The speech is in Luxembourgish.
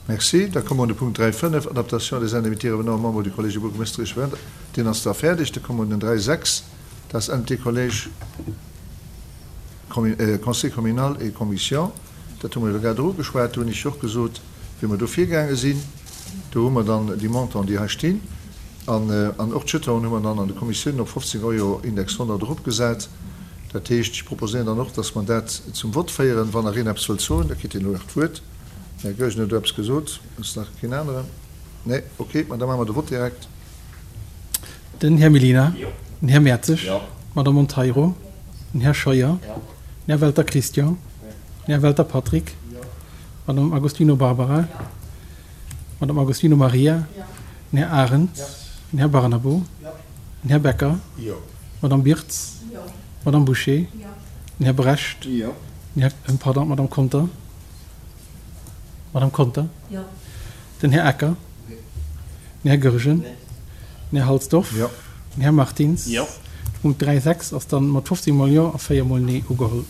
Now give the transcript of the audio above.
Merci. Da komme mer un de Punkt 3.5, Adaptation des indemnités revenant aux membres du Collège du bourgmestre et échevins. Deen ass da fäerdeg. Da komme mer un den 3.6, dat ass Indemnités Collège, Conseil communal et commission. Dat hu mer elo grad och ugeschwat. Do hunn ech jo och gesot, wéi mer do virgaange sinn. Do hu mer dann déi Montanten, déi hei stinn. An, an och d'Jetonen hu mer dann an de Kommissiounen op 15 Euro Index 100 eropgesat. Dat heescht, ech proposéieren dann och, dass mer dat zum Vott féieren. Wann nach een eppes wëllt soen, da kritt hien elo nach d'Wuert. Den Här Goergen huet elo eppes gesot. Ass nach keen aneren? Nee? Okay, ma da maache mer de Vott direkt. Den Här Mellina. Den Här Mertzig. D'Madame Monteiro. Den Här Scheuer. Den Här Welter Christian. Den Här Welter Patrick. D'Madame Agostino Barbara. D'Madame Agostino Maria. Den Här Arendt. Den Här Barnabo. Den Här Becker. D'Madame Birtz. D'Madame Bouché. Den Här Brecht. Den Här, pardon, d'Madame Conter. D'Madame Conter. Den Här Ecker. Den Här Goergen. Den Här Halsdorf. Den Här Martins. De Punkt 3, 6 ass dann mat 15 mol Jo a 4 mol Nee ugeholl.